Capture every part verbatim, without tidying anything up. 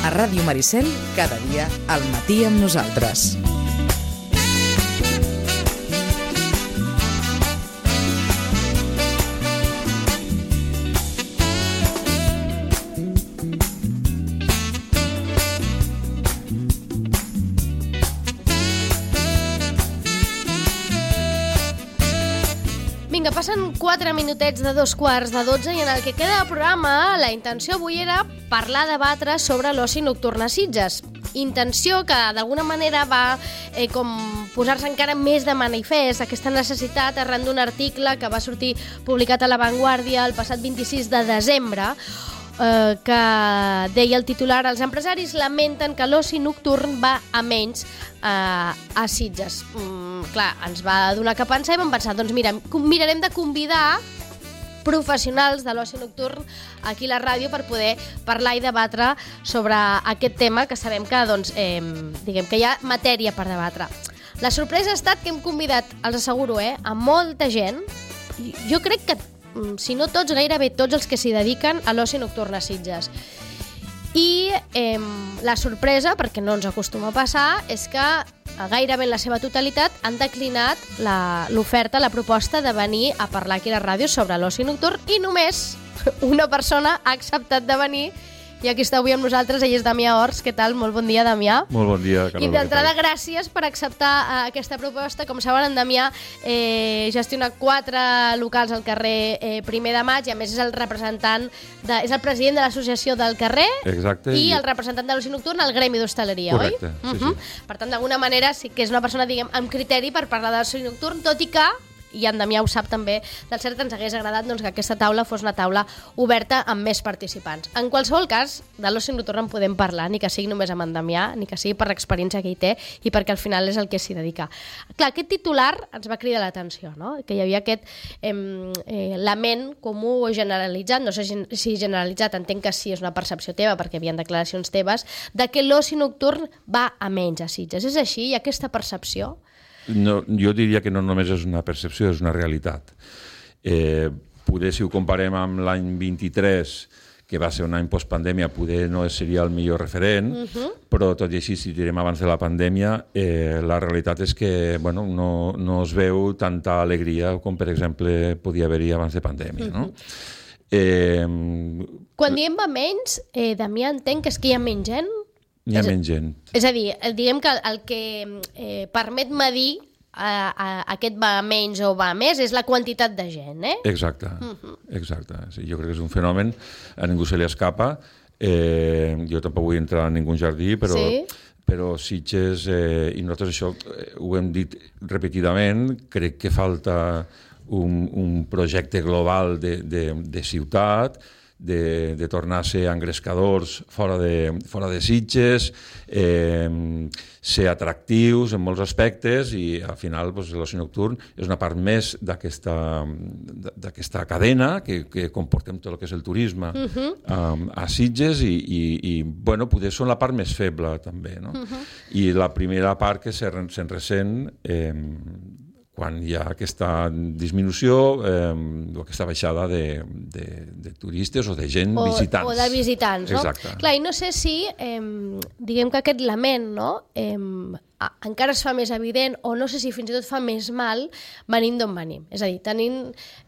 A Ràdio Maricel, cada dia al matí amb nosaltres. Vinga, passen quatre minutets de dos quarts de dotze i en el que queda de programa la intenció avui era parlar, debatre sobre l'oci nocturn a Sitges. Intenció que d'alguna manera va eh, com posar-se encara més de manifest aquesta necessitat arran d'un article que va sortir publicat a La Vanguardia el passat vint-i-sis de desembre, eh, que deia el titular: els empresaris lamenten que l'oci nocturn va a menys eh, a Sitges. Mm, clar, ens va donar que pensar i vam pensar, doncs mira, mirarem de convidar professionals de l'oci nocturn aquí a la ràdio per poder parlar i debatre sobre aquest tema, que sabem que, doncs, eh, diguem que hi ha matèria per debatre. La sorpresa ha estat que hem convidat, els asseguro, eh, a molta gent. Jo crec que, si no tots, gairebé tots els que s'hi dediquen a l'oci nocturn a Sitges. I eh, la sorpresa, perquè no ens acostuma a passar, és que gairebé en la seva totalitat han declinat l'oferta, la, la proposta de venir a parlar aquí a la ràdio sobre l'oci nocturn, i només una persona ha acceptat de venir, i aquí està avui amb nosaltres. Ell és Damià Ors. Què tal? Molt bon dia, Damià. Molt bon dia, Carola. I d'entrada, gràcies per acceptar uh, aquesta proposta. Com saben, en Damià eh, gestiona quatre locals al carrer eh, Primer de Maig, i a més és el representant, de, és el president de l'associació del carrer. Exacte. I el representant de l'oci nocturn al gremi d'hostaleria, oi? Correcte, sí, uh-huh. sí. Per tant, d'alguna manera sí que és una persona, diguem, amb criteri per parlar de l'oci nocturn, tot i que, i en Damià ho sap també, del cert ens hagués agradat, doncs, que aquesta taula fos una taula oberta amb més participants. En qualsevol cas, de l'oci nocturn en podem parlar, ni que sigui només amb en Damià, ni que sigui per l'experiència que hi té i perquè al final és el que s'hi dedica. Clar, aquest titular ens va cridar l'atenció, no? Que hi havia aquest eh, eh, lament comú o generalitzat, no sé si generalitzat, entenc que sí, és una percepció teva perquè hi havia declaracions teves, de que l'oci nocturn va a menys a Sitges. És així? Hi ha aquesta percepció? No, jo diria que no només és una percepció, és una realitat. Eh, poder, si ho comparem amb l'any vint-i-tres, que va ser un any postpandèmia, poder no seria el millor referent, uh-huh. però tot i així, si direm abans de la pandèmia, eh, la realitat és que bueno, no, no es veu tanta alegria com, per exemple, podia haver-hi abans de pandèmia. Uh-huh. No? Eh, Quan diem va menys, eh, Damià, entenc que és que hi ha menys gent? Hi ha menys gent. És a dir, diguem que el que eh, permet medir a, a, aquest va menys o va més és la quantitat de gent, eh? Exacte, uh-huh. exacte. Sí, jo crec que és un fenomen, a ningú se li escapa. Eh, jo tampoc vull entrar en ningú jardí, però, sí. però Sitges, eh, i nosaltres això eh, ho hem dit repetidament, crec que falta un, un projecte global de, de, de ciutat, de, de tornar a ser engrescadors fora de, fora de Sitges, eh, ser atractius en molts aspectes, i al final doncs, l'oci nocturn és una part més d'aquesta d'aquesta cadena que, que comportem tot el que és el turisme uh-huh. um, a Sitges, i, i, i bueno, poder són la part més feble també, no? Uh-huh. I la primera part que se'n ressent eh, quan hi ha aquesta disminució eh, o aquesta baixada de, de, de turistes o de gent o, visitants. O de visitants, no? Exacte. Clar, i no sé si, eh, diguem que aquest lament, no?, eh, encara es fa més evident, o no sé si fins i tot fa més mal venint d'on venim. És a dir, tenint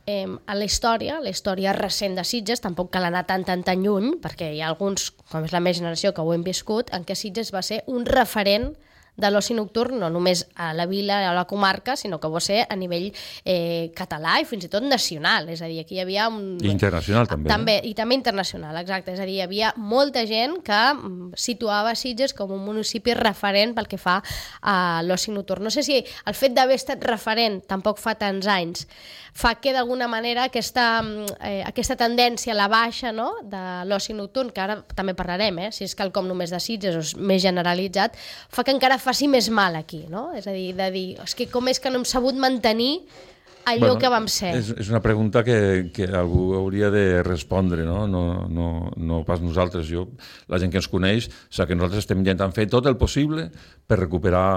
eh, a la història, la història recent de Sitges, tampoc cal anar tan, tan, tan lluny, perquè hi ha alguns, com és la meva generació, que ho hem viscut, en què Sitges va ser un referent de l'oci nocturn, no només a la vila o a la comarca, sinó que va ser a nivell eh, català i fins i tot nacional. És a dir, aquí hi havia un... I internacional també. també I també internacional, exacte. És a dir, hi havia molta gent que situava Sitges com un municipi referent pel que fa a l'oci nocturn. No sé si el fet d'haver estat referent tampoc fa tants anys fa que d'alguna manera aquesta, eh, aquesta tendència a la baixa, no?, de l'oci nocturn, que ara també parlarem, eh, si és quelcom només de Sitges o és més generalitzat, fa que encara faci més mal aquí, no? És a dir, de dir, és que com és que no hem sabut mantenir allò bueno, que vam ser? És, és una pregunta que, que algú hauria de respondre, no? No, no, no pas nosaltres. Jo, la gent que ens coneix sap que nosaltres estem intentant fer tot el possible per recuperar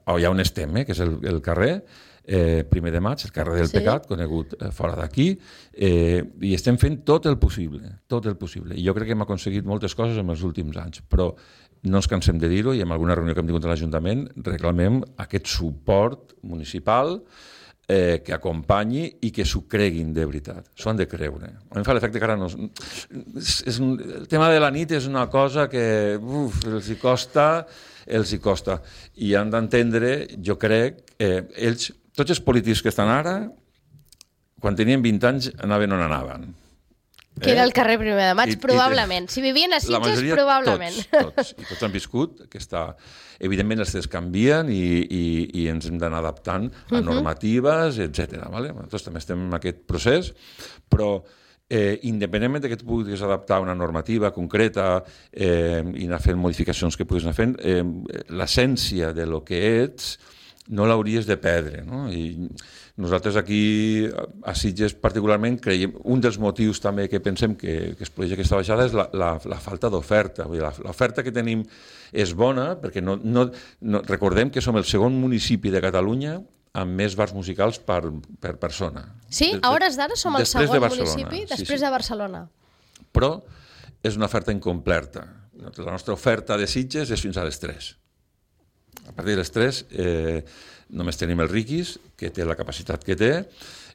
allà on estem, eh, que és el, el carrer, eh, primer de maig, el carrer del sí. Pecat, conegut eh, fora d'aquí, eh, i estem fent tot el possible, tot el possible. I jo crec que hem aconseguit moltes coses en els últims anys, però no ens cansem de dir-ho, i en alguna reunió que hem tingut a l'Ajuntament reclamem aquest suport municipal eh, que acompanyi i que s'ho creguin de veritat. S'ho han de creure. A mi em fa l'efecte que ara no... És, és un, el tema de la nit és una cosa que uf, els hi costa, els hi costa. I han d'entendre, jo crec, eh, ells, tots els polítics que estan ara, quan tenien vint anys, anaven on anaven. Que era el carrer primer de maig, I, probablement. I, si vivien a Sitges, majoria, probablement. Tots, tots. I tots han viscut. Aquesta... Evidentment, els temps canvien i, i, i ens hem d'anar adaptant a normatives, etcètera. Vale? Nosaltres també estem en aquest procés, però eh, independentment que tu puguis adaptar una normativa concreta eh, i anar fent modificacions que puguis anar fent, eh, l'essència de lo que ets no l'hauries de perdre, no? I nosaltres aquí a Sitges particularment creiem, un dels motius també que pensem que, que es produeix aquesta baixada és la, la, la falta d'oferta. L'oferta que tenim és bona perquè no, no, no, recordem que som el segon municipi de Catalunya amb més bars musicals per, per persona. Sí? A hores d'ara som el segon municipi després sí, sí. de Barcelona. Però és una oferta incompleta. La nostra oferta de Sitges és fins a les tres. A partir de les tres eh, només tenim el Riquis, que té la capacitat que té,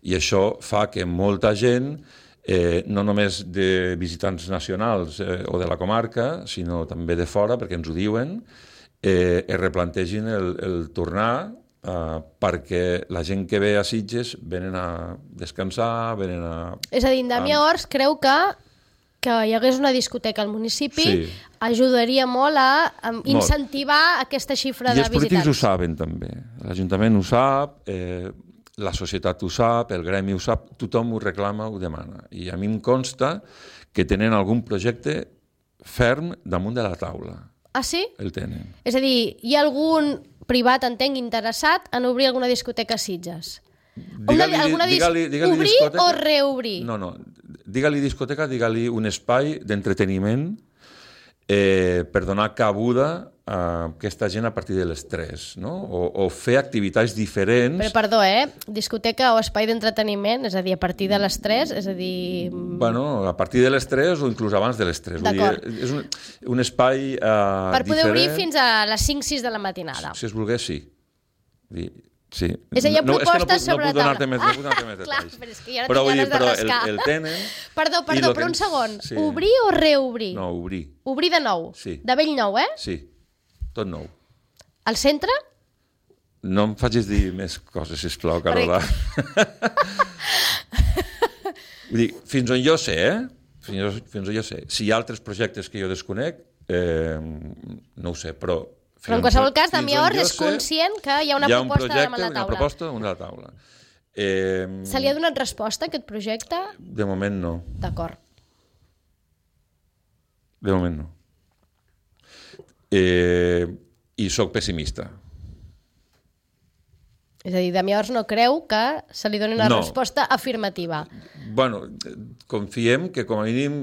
i això fa que molta gent, eh, no només de visitants nacionals eh, o de la comarca, sinó també de fora, perquè ens ho diuen, eh, es replantegin el, el tornar eh, perquè la gent que ve a Sitges venen a descansar, venen a... És a dir, Damià Ors creu que que hi hagués una discoteca al municipi sí. ajudaria molt a incentivar molt. Aquesta xifra de visitants. I els polítics ho saben també. L'Ajuntament ho sap, eh, la societat ho sap, el gremi ho sap, tothom ho reclama, ho demana. I a mi em consta que tenen algun projecte ferm damunt de la taula. Ah, sí? El tenen. És a dir, hi ha algun privat, entenc, interessat en obrir alguna discoteca a Sitges? Digue-li, alguna dis... digue-li, digue-li obrir discoteca? O reobrir? No, no. Digue-li discoteca, digue-li un espai d'entreteniment eh, per donar cabuda a aquesta gent a partir de les tres, no? O, o fer activitats diferents... Però, perdó, eh? Discoteca o espai d'entreteniment, és a dir, a partir de les tres, és a dir... Bueno, a partir de les tres o inclús abans de les tres. D'acord. Vull dir, és un, un espai eh, per poder diferent. Obrir fins a les cinc sis de la matinada. Si es volgués, sí. Vull dir, sí. És a dir, no, propostes és que no, sobre no puc donar-te més, ah, no puc donar-te més clar, detalls. però és que ja no però, tinc ganes de però rascar. El, el tenen... Perdó, perdó, però un segon. Sí. Obrir o reobrir? No, obrir. Obrir de nou? Sí. De bell nou, eh? Sí, tot nou. Al centre? No em facis dir més coses, sisplau, Carola. Vull dir, fins on jo sé, eh? Fins, fins on jo sé. Si hi ha altres projectes que jo desconec, eh, no ho sé, però... Però en qualsevol cas, Damià Ors és conscient que hi ha una hi ha un proposta projecte, damunt la taula. Una proposta damunt la taula. Eh, Se li ha donat resposta a aquest projecte? De moment no. D'acord. De moment no. Eh, I sóc pessimista. És a dir, Damià Ors no creu que se li doni una no. resposta afirmativa. Bueno, confiem que com a mínim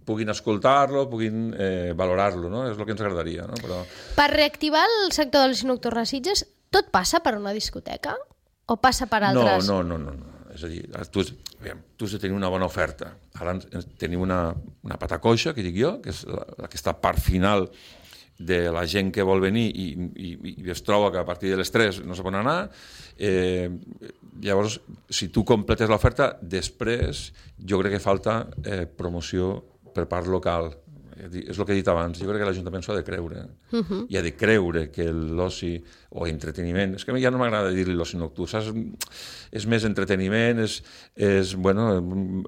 puguin escoltar-lo, puguin eh, valorar-lo, no? És el que ens agradaria, no? Però... Per reactivar el sector de l'oci nocturn a Sitges, tot passa per una discoteca? O passa per altres? No, no, no, no. no. És a dir, tu has, aviam, tu has de tenir una bona oferta. Ara tenim una, una pata coixa, que dic jo, que és la, aquesta part final de la gent que vol venir i, i, i es troba que a partir de les tres no se pot anar, eh, llavors, si tu completes l'oferta, després jo crec que falta eh, promoció per part local. És el que he dit abans, jo crec que l'Ajuntament s'ho ha de creure. Uh-huh. I ha de creure que l'oci o entreteniment, és que ja no m'agrada dir-li l'oci nocturn, saps? És més entreteniment, és, és bueno,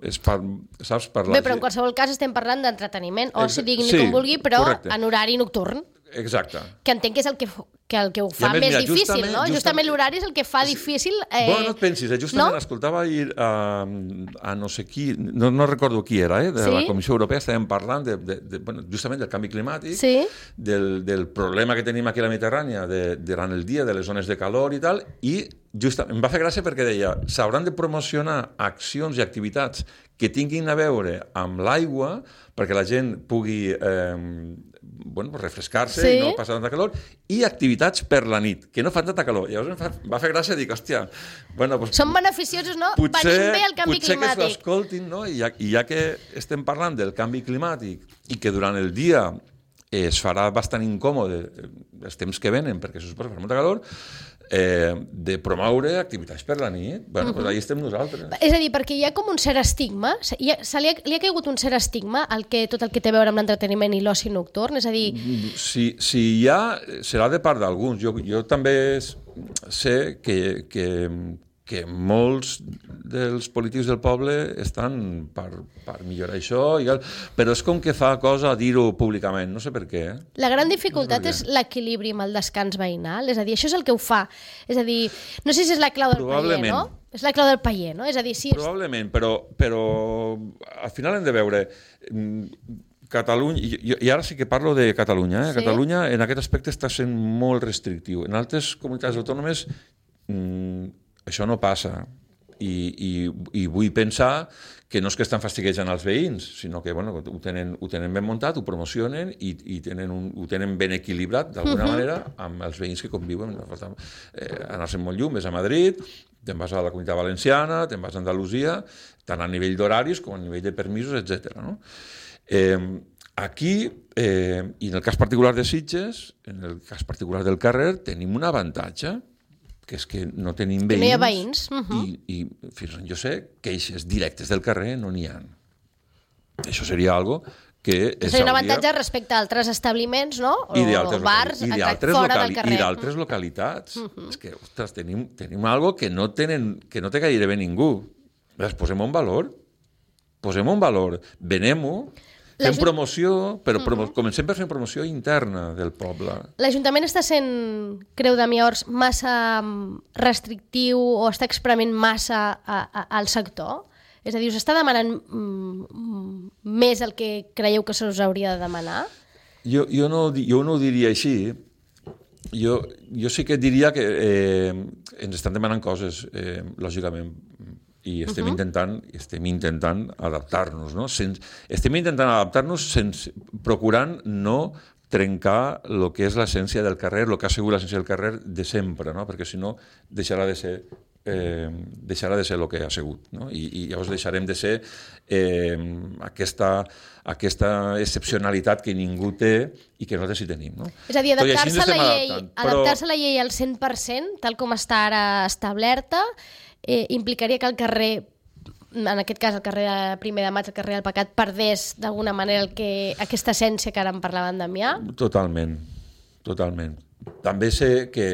és per, saps, per la... Bé, però en qualsevol cas estem parlant d'entreteniment, o si diguin sí, com vulgui, però correcte. En horari nocturn. Exacte. Que entenc que és el que, que, el que ho fa més, més mira, difícil, justament, no? Justament, justament l'horari és el que fa difícil... Eh... Bueno, no et pensis, eh? justament no? escoltava ahir a, a no sé qui, no, no recordo qui era, eh? de sí? la Comissió Europea, estàvem parlant de, de, de, bueno, justament del canvi climàtic, sí? del, del problema que tenim aquí a la Mediterrània de, durant el dia, de les zones de calor i tal, i just, em va fer gràcia perquè deia, s'hauran de promocionar accions i activitats que tinguin a veure amb l'aigua perquè la gent pugui eh, bueno, refrescar-se sí. i no passar tanta calor, i activitats per la nit, que no fan tanta calor. Llavors em fa, va fer gràcia, dic, hòstia... Bueno, doncs, són beneficiosos, no? Potser, venim bé el canvi potser climàtic. Potser que s'escoltin, no? I ja, I ja que estem parlant del canvi climàtic i que durant el dia es farà bastant incòmode els temps que venen, perquè se suposa que fa molta calor, eh, de promoure activitats per la nit. Bueno, uh-huh. doncs allà estem nosaltres. És a dir, perquè hi ha com un cert estigma, hi ha, se li, ha, li ha caigut un cert estigma al que, tot el que té a veure amb l'entreteniment i l'oci nocturn, és a dir... Si, si hi ha, serà de part d'alguns. Jo, jo també sé que, que, que molts dels polítics del poble estan per, per millorar això, però és com que fa cosa dir-ho públicament, no sé per què. Eh? La gran dificultat no és l'equilibri amb el descans veïnal, és a dir, això és el que ho fa. És a dir, no sé si és la clau del paller, no? És la clau del paller, no? És a dir, si... Probablement, però, però al final hem de veure... Catalunya, i, i ara sí que parlo de Catalunya, eh? Sí. Catalunya en aquest aspecte està sent molt restrictiu. En altres comunitats autònomes mmm, això no passa. I, i, i vull pensar que no és que estan fastiguejant els veïns, sinó que bueno, ho, tenen, ho tenen ben muntat, ho promocionen i, i tenen un, ho tenen ben equilibrat d'alguna uh-huh. manera amb els veïns que conviuen. Eh, anar-se'n molt lluny, més a Madrid, te'n vas a la Comunitat Valenciana, te'n vas a Andalusia, tant a nivell d'horaris com a nivell de permisos, etcètera. No? Eh, aquí, eh, i en el cas particular de Sitges, en el cas particular del carrer, tenim un avantatge, que és que no tenim veïns, no hi ha veïns. Uh-huh. i, i fins on jo sé, queixes directes del carrer no n'hi ha. Això seria algo que... Seria un avantatge respecte a altres establiments, no? O, o bars, i fora del carrer. I d'altres localitats. Uh-huh. És que, ostres, tenim, tenim algo que no, tenen, que no té gairebé ningú. Posem-ho en valor. Posem-ho en valor. Venem-ho. Fem promoció, però promo- uh-huh. comencem per fer promoció interna del poble. L'Ajuntament està sent, creu Damià Ors, massa restrictiu o està experiment massa a, a, al sector? És a dir, us està demanant mm, més el que creieu que se us hauria de demanar? Jo, jo, no, jo no ho diria així. Jo, jo sí que diria que eh, ens estan demanant coses, eh, lògicament, i estem uh-huh. intentant estem intentant adaptar-nos, no? Sense, estem intentant adaptar-nos sense, procurant no trencar el que és l'essència del carrer, el que ha sigut l'essència del carrer de sempre, no? Perquè si no deixarà de ser eh, deixarà de ser el que ha sigut, no? I, i llavors deixarem de ser eh, aquesta, aquesta excepcionalitat que ningú té i que nosaltres sí tenim, no? És a dir, adaptar-se a la llei, però... adaptar-se a la llei al cent per cent, tal com està ara establerta, Eh, implicaria que el carrer, en aquest cas el carrer de primer de maig, el carrer del Pecat, perdés d'alguna manera el que, aquesta essència que ara em parlava en Damià? Totalment, totalment. També sé que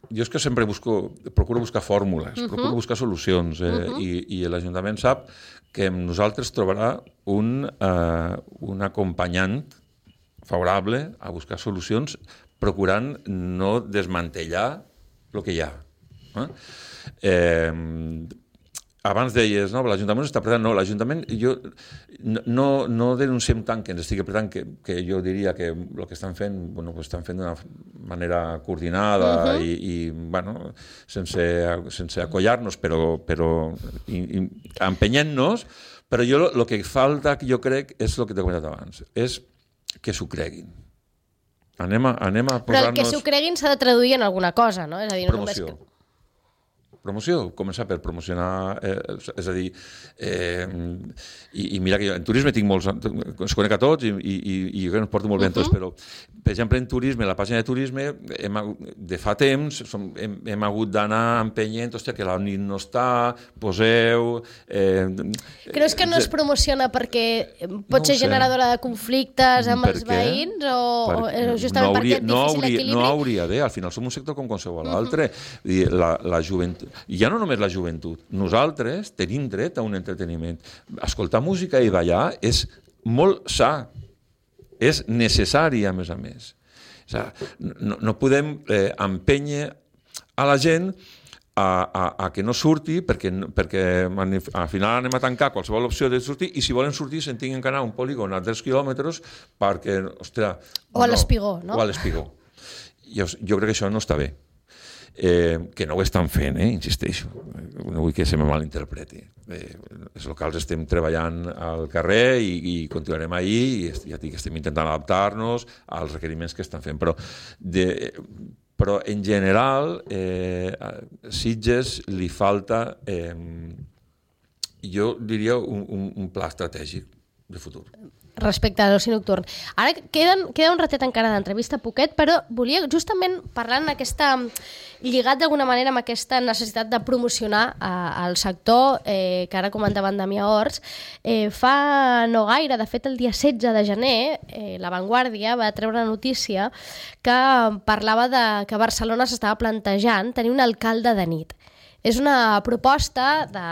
jo és que sempre busco, procuro buscar fórmules, uh-huh. procuro buscar solucions, eh, uh-huh. i, i l'Ajuntament sap que amb nosaltres trobarà un, eh, un acompanyant favorable a buscar solucions, procurant no desmantellar el que hi ha. Eh? Eh, abans deies, no, l'Ajuntament està apretant. No, l'Ajuntament, jo no, no denunciem tant que ens estigui apretant, que, que jo diria que el que estan fent, bueno, pues estan fent d'una manera coordinada uh-huh. i, i bueno, sense, sense acollar-nos, però, però i, i, empenyent-nos, però jo el que falta, jo crec, és el que t'he comentat abans, és que s'ho creguin. Anem a, anem a posar-nos... Però el que s'ho creguin s'ha de traduir en alguna cosa, no? És a dir, no promoció. Només... Promoció, començar per promocionar, eh, és a dir, eh, i, i mira que jo en turisme tinc molts, ens conec a tots i, i, i jo que ens porto molt bé uh-huh. tots, però, per exemple, en turisme, la pàgina de turisme, hem, de fa temps, som, hem, hem hagut d'anar empenyent, hòstia, que la nit no està, poseu... Eh, Creus que no es promociona perquè pot no ser generadora de conflictes amb els veïns o, per, o justament no hauria, perquè és difícil no hauria, equilibri? No hauria de, al final som un sector com qualsevol uh-huh. altre. La, la joventut, ja no només la joventut, nosaltres tenim dret a un entreteniment. Escoltar música i ballar és molt sa, és necessari a més a més. O sigui, no, no podem eh, empènyer a la gent a, a, a que no surti perquè, perquè al final anem a tancar qualsevol opció de sortir i si volen sortir se'n tinguin que anar a un polígon a tres quilòmetres perquè, ostres... O a l'Espigó, no? O a l'Espigó. Jo, jo crec que això no està bé. eh, que no ho estan fent, eh, insisteixo, no vull que se me malinterpreti. Eh, els locals estem treballant al carrer i, i continuarem ahí, i ja dic que estem intentant adaptar-nos als requeriments que estan fent, però, de, però en general eh, a Sitges li falta, eh, jo diria, un, un, un pla estratègic de futur. Respecte a l'oci nocturn. Ara queden, queda un ratet encara d'entrevista, poquet, però volia justament parlar en aquesta, lligat d'alguna manera amb aquesta necessitat de promocionar eh, el sector, eh, que ara comentaven Damià Ors. Eh, fa no gaire, de fet el dia setze de gener, eh, La Vanguardia va treure una notícia que parlava de que Barcelona s'estava plantejant tenir un alcalde de nit. És una proposta de,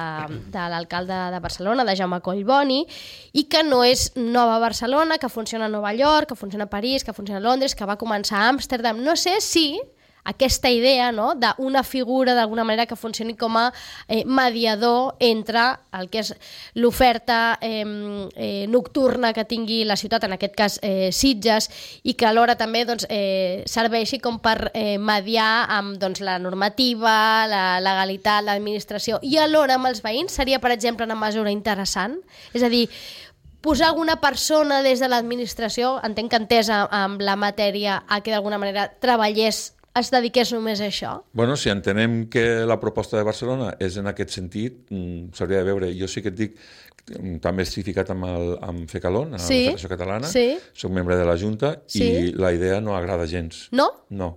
de l'alcalde de Barcelona, de Jaume Collboni, i que no és nova a Barcelona, que funciona a Nova York, que funciona a París, que funciona a Londres, que va començar a Amsterdam. No sé si aquesta idea, no?, d'una figura d'alguna manera que funcioni com a eh, mediador entre el que és l'oferta eh, eh, nocturna que tingui la ciutat, en aquest cas eh, Sitges, i que alhora també doncs, eh, serveixi com per eh, mediar amb doncs, la normativa, la legalitat, l'administració, i alhora amb els veïns seria, per exemple, una mesura interessant. És a dir, posar alguna persona des de l'administració, entenc que entesa amb la matèria, a que d'alguna manera treballés, es dediqués només a això? Bueno, si entenem que la proposta de Barcelona és en aquest sentit, s'hauria de veure. Jo sí que et dic, també estic ficat amb, el, amb FECALON, a sí, la Federació Catalana, sí. Soc membre de la Junta, sí. I la idea no agrada gens. No? No,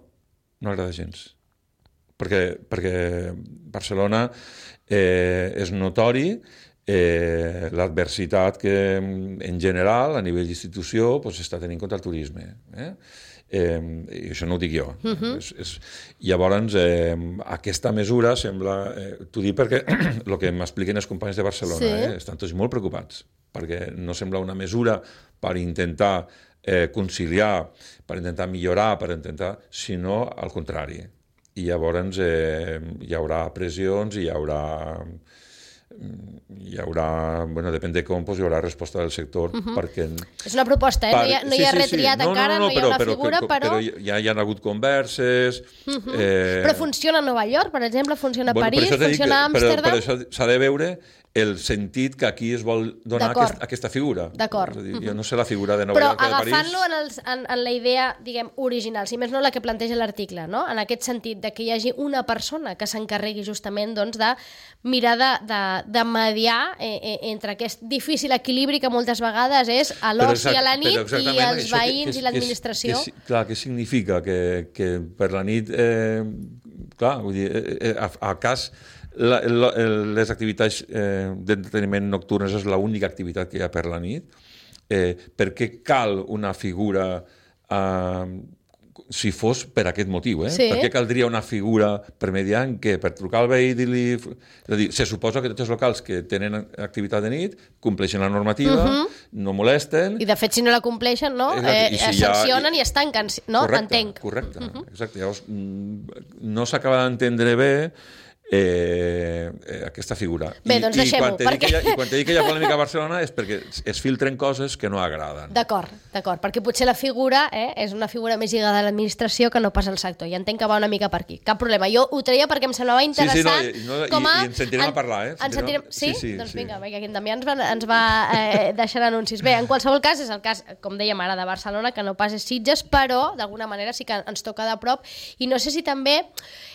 no agrada gens. Perquè, perquè Barcelona eh, és notori eh, l'adversitat que en general, a nivell d'institució, pues, està tenint contra el turisme. Eh? Eh, i això no ho dic jo. Uh-huh. és, és... Llavors, eh, aquesta mesura sembla... Eh, t'ho dic perquè el que m'expliquen els companys de Barcelona, sí. eh, estan tots molt preocupats, perquè no sembla una mesura per intentar eh, conciliar, per intentar millorar, per intentar, sinó al contrari. I llavors eh, hi haurà pressions, hi haurà... hi haurà, bueno, depèn de com, pues, hi haurà resposta del sector, uh-huh. perquè... És una proposta, eh? Per... No hi ha, no hi ha sí, sí, retriat sí. No, encara, no, no, no, no hi ha una però, figura, però... Però ja hi ha hagut converses... Uh-huh. eh... Però funciona a Nova York, per exemple, funciona a bueno, París, funciona a Amsterdam... Però, però això s'ha de veure el sentit que aquí es vol donar aquest, aquesta figura. D'acord. És a dir, jo no sé la figura de Nova però York o de París... Però agafant-lo en, els, en, en la idea, diguem, original, si més no la que planteja l'article, no? En aquest sentit, de que hi hagi una persona que s'encarregui justament doncs, de mirar de, de, de mediar eh, eh, entre aquest difícil equilibri que moltes vegades és a l'oci a la nit i els veïns que, que, i l'administració. Que, que, clar, què significa? Que, que per la nit, eh, clar, vull dir, eh, a, a cas... La, la, les activitats eh, d'entreteniment nocturnes és l'única activitat que hi ha per la nit. Eh, per què cal una figura eh, si fos per aquest motiu? Eh? Sí. Per què caldria una figura per mediant que per trucar al veí i dir-li... És a dir, se suposa que tots els locals que tenen activitat de nit compleixen la normativa, uh-huh. no molesten... I de fet, si no la compleixen, no? Eh, si es sancionen ha... i es tanquen, no? Correcte, entenc. Correcte, uh-huh. exacte. Llavors, no s'acaba d'entendre bé Eh, eh, aquesta figura. Bé, doncs deixem-ho. I, perquè... I quan te dic que hi ha polèmica a Barcelona és perquè es filtren coses que no agraden. D'acord, d'acord, perquè potser la figura eh, és una figura més lligada a l'administració que no pas al sector, i entenc que va una mica per aquí. Cap problema, jo ho traia perquè em semblava interessant. Sí, sí, no, i, no, com a... i, i ens sentirem en, a parlar, eh? Ens sentirem... Sí? sí, sí? Doncs sí. vinga, vinga, aquí en Damià ens va, ens va eh, deixar anuncis. Bé, en qualsevol cas, és el cas, com dèiem ara, de Barcelona, que no pas és Sitges, però d'alguna manera sí que ens toca de prop, i no sé si també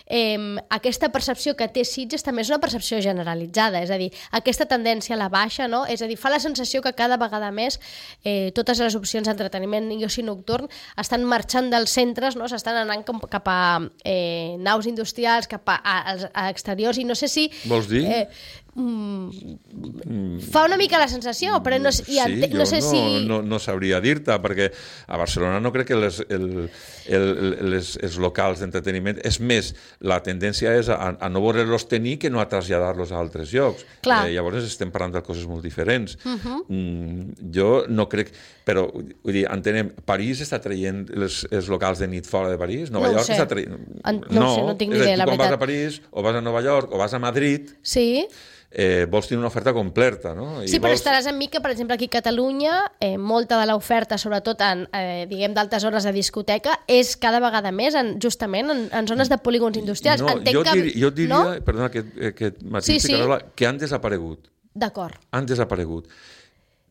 eh, aquesta percepció que té Sitges també és una percepció generalitzada, és a dir, aquesta tendència a la baixa, no? És a dir, fa la sensació que cada vegada més eh, totes les opcions d'entreteniment i oci nocturn estan marxant dels centres, no? S'estan anant cap a eh, naus industrials, cap a, a, a exteriors, i no sé si... Vols dir? Eh, Mm, fa una mica la sensació, però no, sí, ente, no sé no, si... No, no sabria dir-te, perquè a Barcelona no crec que les, el, el, les, els locals d'entreteniment... És més, la tendència és a, a no voler-los tenir que no a traslladar-los a altres llocs. Eh, llavors estem parlant de coses molt diferents. Uh-huh. mm, jo no crec... Però, vull dir, entenem, París està traient els, els locals de nit fora de París? Nova no York està traient... En, no, no, sé, no tinc ni idea, la veritat. Tu quan vas a París, o vas a Nova York, o vas a Madrid... Sí... eh, vols tenir una oferta completa, no? I sí, però vols... estaràs amb mi que, per exemple, aquí a Catalunya, eh, molta de l'oferta, sobretot en, eh, diguem, d'altes hores de discoteca, és cada vegada més en, justament en, en zones de polígons industrials. No, Entenc jo, que... dir, jo diria, no? perdona, que, que matís, Sí, sí. Carola, que han desaparegut. D'acord. Han desaparegut.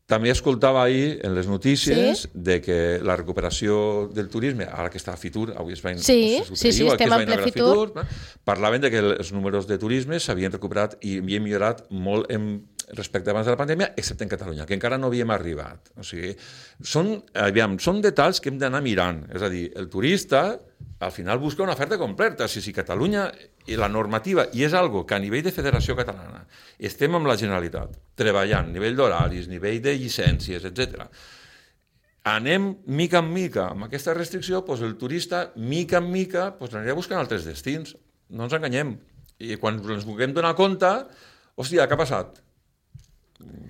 També escoltava ahir en les notícies Sí? de que la recuperació del turisme, ara que està a Fitur, avui es va... Sí, es sí, sí, estem en ple Fitur. Fitur, parlaven de que els números de turisme s'havien recuperat i havien millorat molt en, respecte abans de la pandèmia, excepte en Catalunya, que encara no havíem arribat. O sigui, són, aviam, són detalls que hem d'anar mirant. És a dir, el turista al final busca una oferta completa. Si, si Catalunya i la normativa, i és algo que a nivell de Federació Catalana estem amb la Generalitat, treballant, nivell d'horaris, nivell de llicències, etcètera. Anem mica en mica amb aquesta restricció, doncs el turista, mica en mica, doncs anirà buscant altres destins. No ens enganyem. I quan ens vulguem donar compte, hòstia, què ha passat?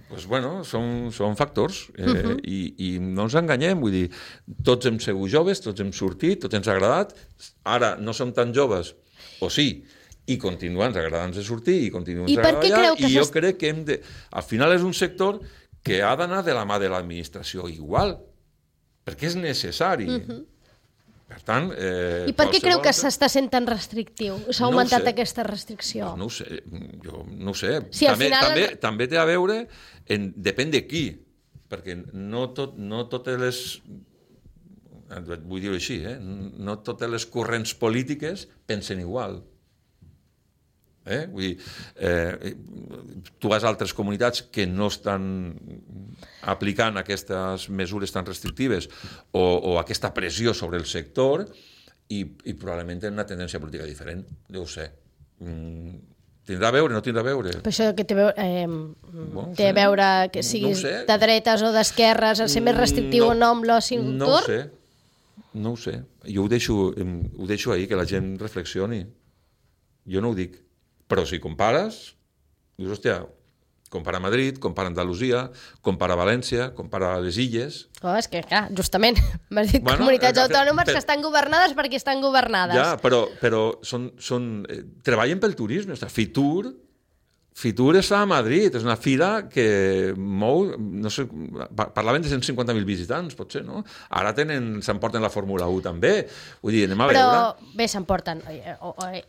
Pues bueno, són, són factors eh, uh-huh. i, i no ens enganyem, vull dir, tots hem sigut joves, tots hem sortit, tots ens ha agradat, ara no som tan joves, o sí, i continua ens agradant de sortir i continua ens agradant allà, i jo crec que hem de... Al final és un sector que ha d'anar de la mà de l'administració igual, perquè és necessari. Uh-huh. Per tant... Eh, I per què creu que s'està sent tan restrictiu? S'ha augmentat no aquesta restricció? No, no ho sé, jo no ho sé. Sí, també, final... també, també té a veure, en, depèn de qui, perquè no, tot, no totes les... Vull dir-ho així, eh? No totes les corrents polítiques pensen igual. Eh? Vull dir, eh, tu vas a altres comunitats que no estan aplicant aquestes mesures tan restrictives o, o aquesta pressió sobre el sector i, i probablement tenen una tendència política diferent, jo ho sé. Mm, tindrà a veure, no tindrà a veure? Per això que té, eh, bon, té a veure que no, siguis no de dretes o d'esquerres, el ser més restrictiu no, o no amb l'oci nocturn? No ho sé, no ho sé. Jo ho deixo, ho deixo ahir, que la gent reflexioni. Jo no ho dic. Però si compares, dius, hòstia, compara Madrid, compara Andalusia, compara València, compara les Illes... Oh, és que, clar, justament, m'has dit bueno, comunitats eh, autònomes per... que estan governades perquè estan governades. Ja, però, però són, són, eh, treballen pel turisme. O sigui, Fitur, Fitur està a Madrid, és una fira que mou, no sé, parlaven de cent cinquanta mil visitants, potser, no? Ara tenen, s'emporten la Fórmula u també. Vull dir, anem a però, veure... Però, bé, s'emporten.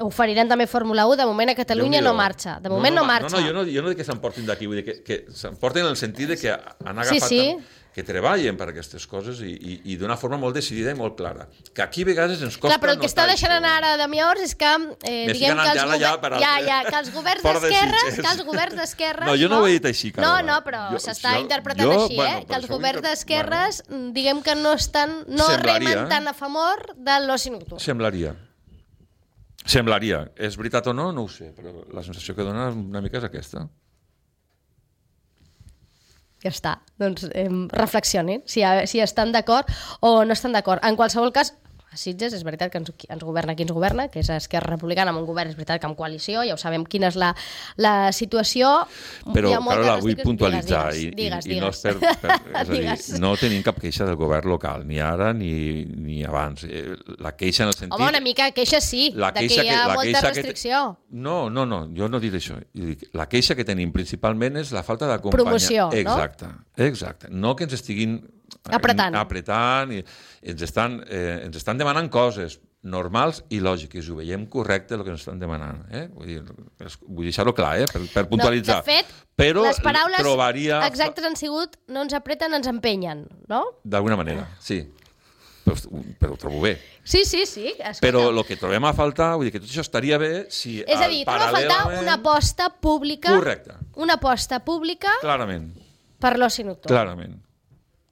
Oferiran també Fórmula u, de moment a Catalunya no marxa. De moment no, no, no marxa. No, no, jo no, jo no dic que s'emportin d'aquí, vull dir que, que s'emporten en el sentit de que han agafat... Sí, sí. Tant, que treballen per aquestes coses i, i, i d'una forma molt decidida i molt clara. Que aquí a vegades ens costa... Clar, però el que està deixant anar ara de Miors és que... Eh, diguem que els, gover... ja, ja, ja, que els governs d'esquerres... Que els governs d'esquerres... No, jo no, no ho he dit així, Carola. No, no, però s'està interpretant jo, així, bueno, eh? Que els governs d'esquerres, bueno, diguem que no estan... No semblaria, remen tan a favor de l'oci nocturn. Semblaria. Semblaria. És veritat o no? No ho sé, però la sensació que dona una mica és aquesta. Ja està, doncs eh, reflexionin si, si estan d'acord o no estan d'acord. En qualsevol cas, a Sitges és veritat que ens, ens governa qui ens governa, que és Esquerra Republicana, amb un govern és veritat que amb coalició, ja ho sabem quina és la, la situació. Però, Carola, vull puntualitzar, digues, i, digues, i, i digues. no és per... per és a dir, no tenim cap queixa del govern local, ni ara ni, ni abans. La queixa en el sentit... Home, una mica queixa sí, la de queixa que hi ha que, molta restricció. Que... No, no, no, jo no diré això. La queixa que tenim principalment és la falta d'acompanyar... Promoció, no? Exacte, exacte. No que ens estiguin... Apretant. Apretant i ens estan, eh, ens estan demanant coses normals i lògiques, ho veiem correcte el que ens estan demanant. Eh? Vull dir, vull deixar-ho clar, eh? per, per puntualitzar. No, de fet, però les paraules trobaria... exactes han sigut no ens apreten, ens empenyen, no? D'alguna manera, sí. Però, però ho trobo bé. Sí, sí, sí. Escolta. Però el que trobem a faltar, vull dir que tot això estaria bé si... És a dir, trobem a faltar una aposta pública... Correcte. Una aposta pública... Clarament. Per l'oci nocturn. Clarament.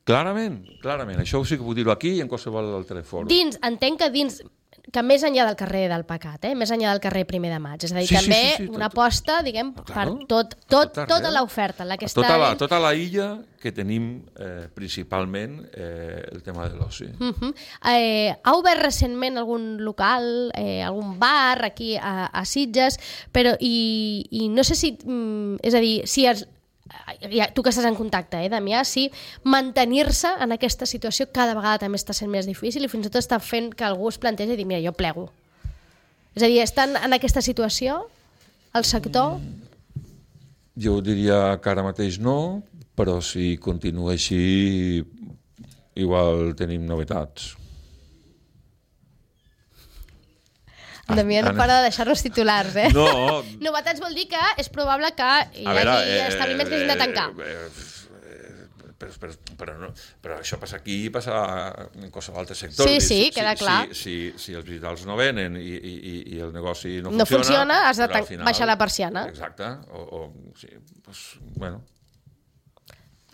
Clarament, clarament. Això sí que puc dir-ho aquí i en qualsevol altre fòrum. Dins, entenc que dins, que més enllà del carrer del Pecat, eh? Més enllà del carrer primer de maig, és a dir, sí, també sí, sí, sí, una tot, aposta, diguem, claro, per tot, tot, tot tota l'oferta. La que tota, està la, tota la illa que tenim eh, principalment eh, el tema de l'oci. Uh-huh. Eh, ha obert recentment algun local, eh, algun bar aquí a, a Sitges, però i, i no sé si, mm, és a dir, si els ja, tu que estàs en contacte, eh, Damià, si mantenir-se en aquesta situació cada vegada també està sent més difícil i fins i tot està fent que algú es plantegi i dir, mira, jo plego. És a dir, estan en aquesta situació el sector? jo diria que ara mateix no, però si continua així, igual tenim novetats. Damià no para de deixar-nos titulars, eh? No. Novetats vol dir que és probable que hi hagi veure, eh, establiments que hagin de tancar. Eh, eh, però, però, però, no, però això passa aquí i passa en qualsevol altre sector. Sí, sí, si, queda si, clar. Si, si, si els visitants no venen i, i, i el negoci no, no funciona... funciona, has de tan... final, baixar la persiana. Exacte. O, o, sí, pues, bueno...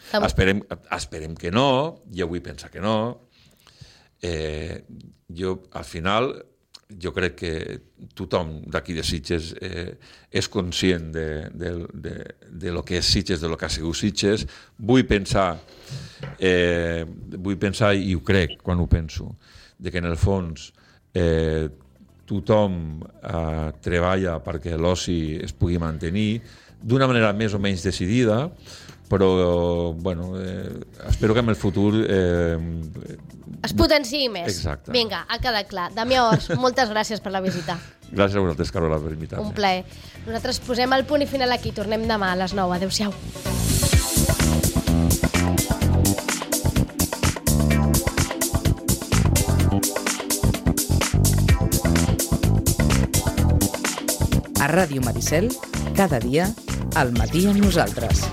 Tam... Esperem, esperem que no, jo vull pensar que no. Eh, jo, al final... jo crec que tothom d'aquí de Sitges eh, és conscient de, de, de, de lo que és Sitges, de lo que ha sigut Sitges. Vull pensar, eh, vull pensar, i ho crec quan ho penso, de que en el fons eh, tothom eh, treballa perquè l'oci es pugui mantenir d'una manera més o menys decidida, però bueno, eh, espero que en el futur eh, es potenciï més. Exacte. Vinga, ha quedat clar. Damià Ors, moltes gràcies per la visita. Gràcies a vosaltres, Carola, per invitar-me. Un plaer. Nosaltres posem el punt i final aquí. Tornem demà a les nou. Adéu-siau. A Ràdio Maricel, cada dia, al matí amb nosaltres.